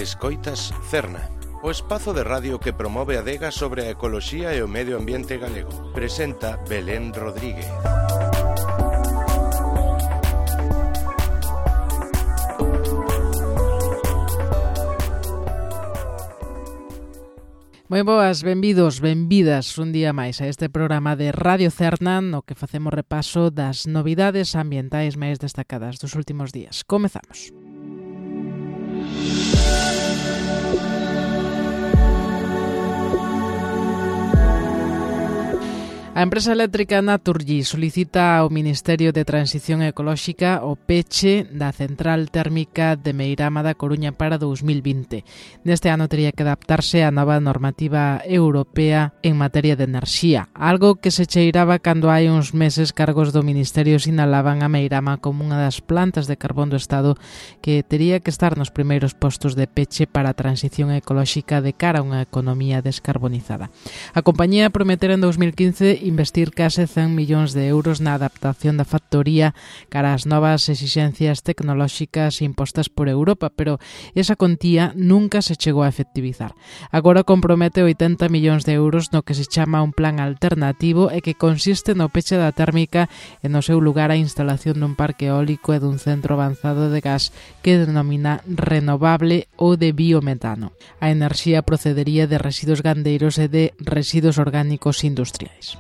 Escoitas Cerna, o espazo de radio que promove a adega sobre a ecoloxía e o medio ambiente galego. Presenta Belén Rodríguez. Moi boas, benvidos, benvidas un día máis a este programa de Radio Cerna no que facemos repaso das novidades ambientais máis destacadas dos últimos días. Comezamos. A empresa eléctrica Naturgy solicita ao Ministerio de Transición Ecolóxica o peche da central térmica de Meirama da Coruña para 2020. Neste ano tería que adaptarse á nova normativa europea en materia de enerxía, algo que se cheiraba cando hai uns meses cargos do Ministerio sinalaban a Meirama como unha das plantas de carbón do Estado que tería que estar nos primeiros postos de peche para a transición ecolóxica de cara a unha economía descarbonizada. A compañía prometera en 2015 investir case 100 millóns de euros na adaptación da factoría cara ás novas exixencias tecnolóxicas impostas por Europa, pero esa contía nunca se chegou a efectivizar. Agora compromete 80 millóns de euros no que se chama un plan alternativo e que consiste no peche da térmica e no seu lugar a instalación dun parque eólico e dun centro avanzado de gas que denomina renovable ou de biometano. A enerxía procedería de residuos gandeiros e de residuos orgánicos industriais.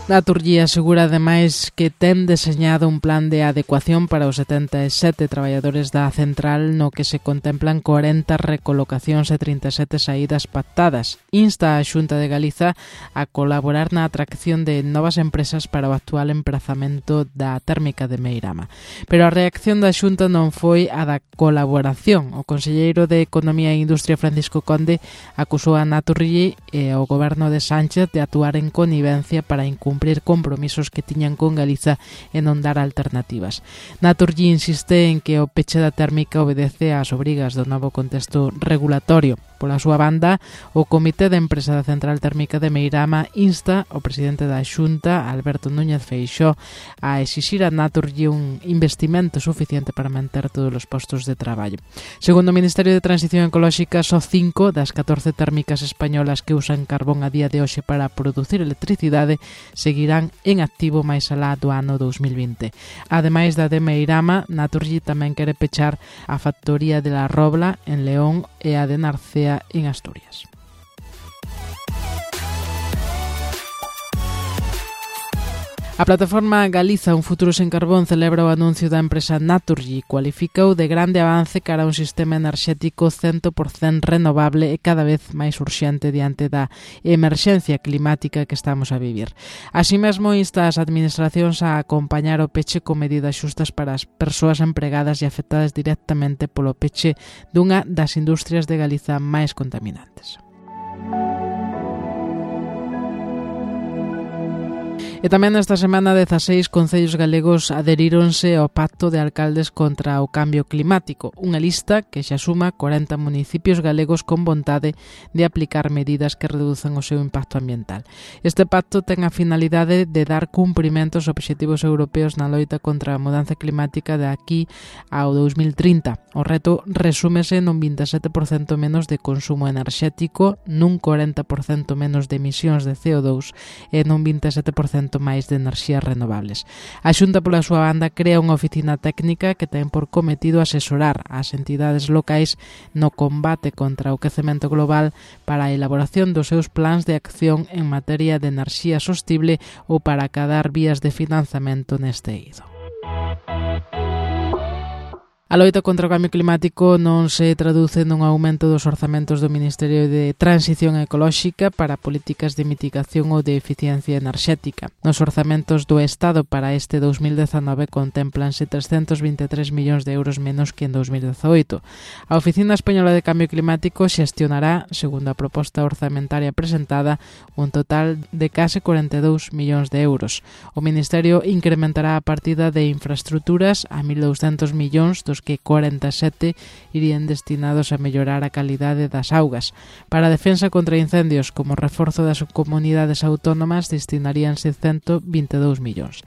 Naturgy asegura ademais que ten deseñado un plan de adecuación para os 77 traballadores da central no que se contemplan 40 recolocacións e 37 saídas pactadas. Insta a Xunta de Galiza a colaborar na atracción de novas empresas para o actual emprazamento da térmica de Meirama. Pero a reacción da Xunta non foi a da colaboración. O conselleiro de Economía e Industria Francisco Conde acusou a Naturgy e ao goberno de Sánchez de actuar en connivencia para cumprir compromisos que tiñan con Galiza e non dar alternativas. Naturgy insiste en que o peche da térmica obedece ás obrigas do novo contexto regulatorio. Pola súa banda, o Comité de Empresa da Central Térmica de Meirama insta ao presidente da Xunta, Alberto Núñez Feixóo, a exixir a Naturgy un investimento suficiente para manter todos os postos de traballo. Segundo o Ministerio de Transición Ecolóxica, só 5 das 14 térmicas españolas que usan carbón a día de hoxe para producir electricidade seguirán en activo máis alá do ano 2020. Ademais da de Meirama, Naturgy tamén quere pechar a factoría de La Robla en León e a de Narcea en Asturias. A plataforma Galiza Un Futuro Sen Carbón celebra o anuncio da empresa Naturgy, cualificou de grande avance cara a un sistema enerxético 100% renovable e cada vez máis urxente diante da emerxencia climática que estamos a vivir. Así mesmo insta as administracións a acompañar o peche con medidas xustas para as persoas empregadas e afectadas directamente polo peche dunha das industrias de Galiza máis contaminantes. E tamén esta semana 16 concellos galegos adheríronse ao Pacto de Alcaldes contra o Cambio Climático, unha lista que xa suma 40 municipios galegos con vontade de aplicar medidas que reduzan o seu impacto ambiental. Este pacto ten a finalidade de dar cumprimento aos obxectivos europeos na loita contra a mudanza climática de aquí ao 2030. O reto resúmese nun 27% menos de consumo enerxético, nun 40% menos de emisións de CO2 e nun 27% máis de enerxías renovables. A Xunta, pola súa banda, crea unha oficina técnica que ten por cometido asesorar as entidades locais no combate contra o quecemento global para a elaboración dos seus plans de acción en materia de enerxía sostible ou para acadar vías de financiamento neste eido. A loita contra o cambio climático non se traduce nun aumento dos orzamentos do Ministerio de Transición Ecolóxica para políticas de mitigación ou de eficiencia enerxética. Nos orzamentos do Estado para este 2019 contemplanse 323 millóns de euros menos que en 2018. A Oficina Española de Cambio Climático xestionará, segundo a proposta orzamentaria presentada, un total de case 42 millóns de euros. O Ministerio incrementará a partida de infraestructuras a 1.200 millóns, dos dos que 47 irían destinados a mellorar a calidade das augas. Para a defensa contra incendios como reforzo das comunidades autónomas destinaríanse 122 millóns.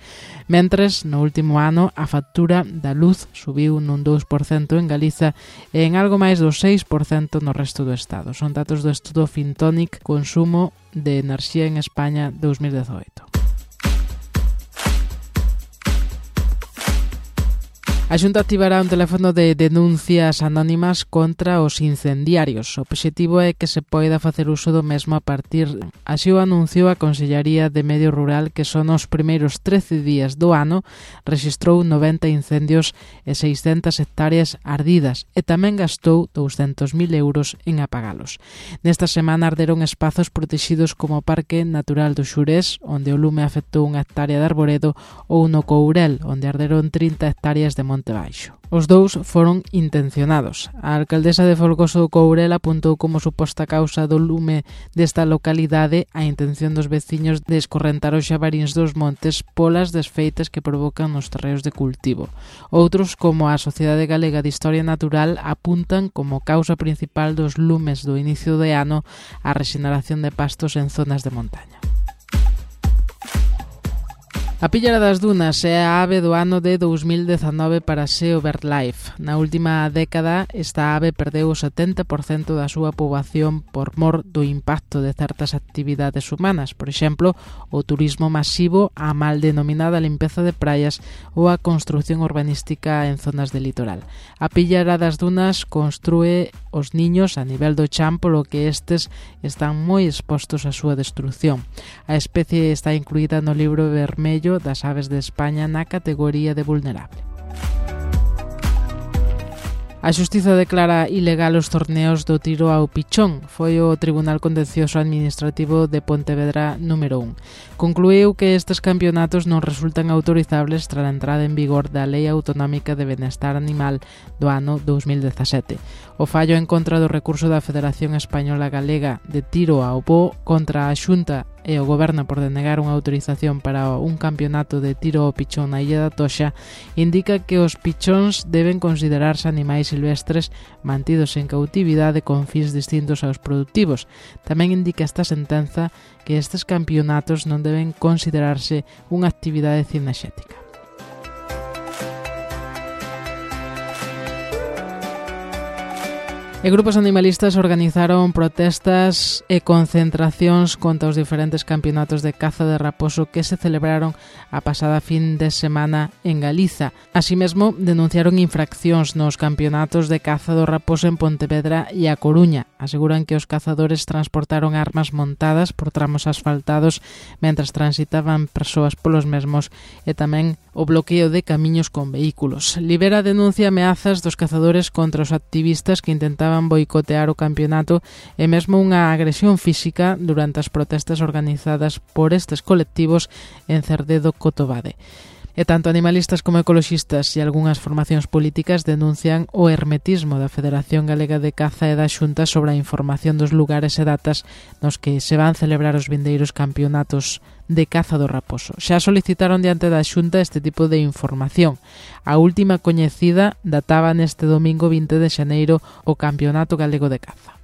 Mentres, no último ano, a factura da luz subiu nun 2% en Galiza e en algo máis do 6% no resto do Estado. Son datos do estudo Fintonic Consumo de Enerxía en España 2018. A Xunta activará un teléfono de denuncias anónimas contra os incendiarios. O obxectivo é que se poida facer uso do mesmo a partir. Así o anunciou a Consellería de Medio Rural, que son os primeiros 13 días do ano rexistrou 90 incendios e 600 hectáreas ardidas e tamén gastou 200.000 euros en apagalos. Nesta semana arderon espazos protexidos como o Parque Natural do Xurés, onde o lume afectou unha hectárea de arboredo, ou no Courel, onde arderon 30 hectáreas de Monte Baixo. Os dous foron intencionados. A alcaldesa de Folgoso do Courel apuntou como suposta causa do lume desta localidade a intención dos veciños de escorrentar os xabaríns dos montes polas desfeitas que provocan nos terreos de cultivo. Outros, como a Sociedade Galega de Historia Natural, apuntan como causa principal dos lumes do inicio de ano a rexeneración de pastos en zonas de montaña. A píllara das dunas é a ave do ano de 2019 para SEO BirdLife. Na última década, esta ave perdeu o 70% da súa poboación por mor do impacto de certas actividades humanas, por exemplo, o turismo masivo, a mal denominada limpeza de praias ou a construción urbanística en zonas de litoral. A píllara das dunas construe os niños a nivel do chan, polo que estes están moi expostos á súa destrucción. A especie está incluída no libro vermello das aves de España na categoría de vulnerable. A Xustiza declara ilegal os torneos do tiro ao pichón. Foi o Tribunal Contencioso Administrativo de Pontevedra número 1. Concluíu que estes campeonatos non resultan autorizables tras a entrada en vigor da Lei Autonómica de Benestar Animal do ano 2017. O fallo en contra do recurso da Federación Española Galega de Tiro ao Bo contra a Xunta e o Goberno por denegar unha autorización para un campeonato de tiro ao pichón na Illa da Toxa indica que os pichóns deben considerarse animais silvestres mantidos en cautividade con fins distintos aos productivos. Tamén indica esta sentenza que estes campeonatos non deben considerarse unha actividade cinexética. E grupos animalistas organizaron protestas e concentracións contra os diferentes campeonatos de caza de raposo que se celebraron a pasada fin de semana en Galiza. Así mesmo, denunciaron infraccións nos campeonatos de caza do raposo en Pontevedra e A Coruña. Aseguran que os cazadores transportaron armas montadas por tramos asfaltados mentras transitaban persoas polos mesmos e tamén o bloqueo de camiños con vehículos. Libera denuncia ameazas dos cazadores contra os activistas que intentaban boicotear o campeonato e mesmo unha agresión física durante as protestas organizadas por estes colectivos en Cerdedo, Cotobade. E tanto animalistas como ecoloxistas e algunhas formacións políticas denuncian o hermetismo da Federación Galega de Caza e da Xunta sobre a información dos lugares e datas nos que se van celebrar os vindeiros campeonatos de caza do raposo. Xa solicitaron diante da Xunta este tipo de información. A última coñecida databa neste domingo 20 de xaneiro o Campeonato Galego de Caza.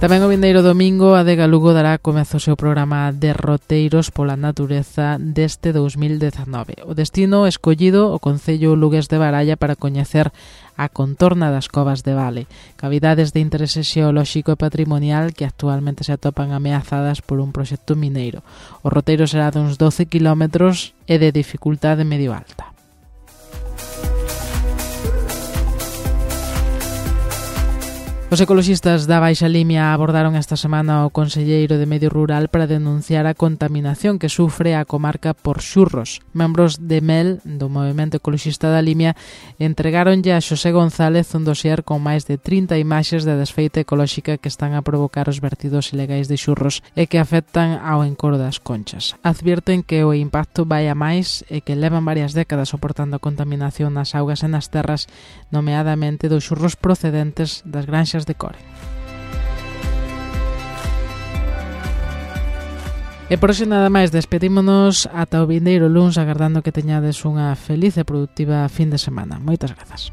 Tamén o vindeiro domingo a Adega Lugo dará comezo o seu programa de roteiros pola natureza deste 2019. O destino escollido o Concello lugués de Baralla para coñecer a contorna das covas de Vale, cavidades de interese xeolóxico e patrimonial que actualmente se atopan ameazadas por un proxecto mineiro. O roteiro será de uns 12 kilómetros e de dificultade medio alta. Os ecoloxistas da Baixa Limia abordaron esta semana o conselleiro de Medio Rural para denunciar a contaminación que sufre a comarca por xurros. Membros de MEL, do Movemento Ecoloxista da Limia, entregáronlle a Xosé González un dossier con máis de 30 imaxes de desfeita ecolóxica que están a provocar os vertidos ilegais de xurros e que afectan ao encoro das conchas. Advierten que o impacto vai a máis e que levan varias décadas soportando a contaminación nas augas e nas terras, nomeadamente dos xurros procedentes das granxas de Core. E por hoxe nada máis, despedímonos ata o vindeiro luns agardando que teñades unha feliz e productiva fin de semana. Moitas grazas.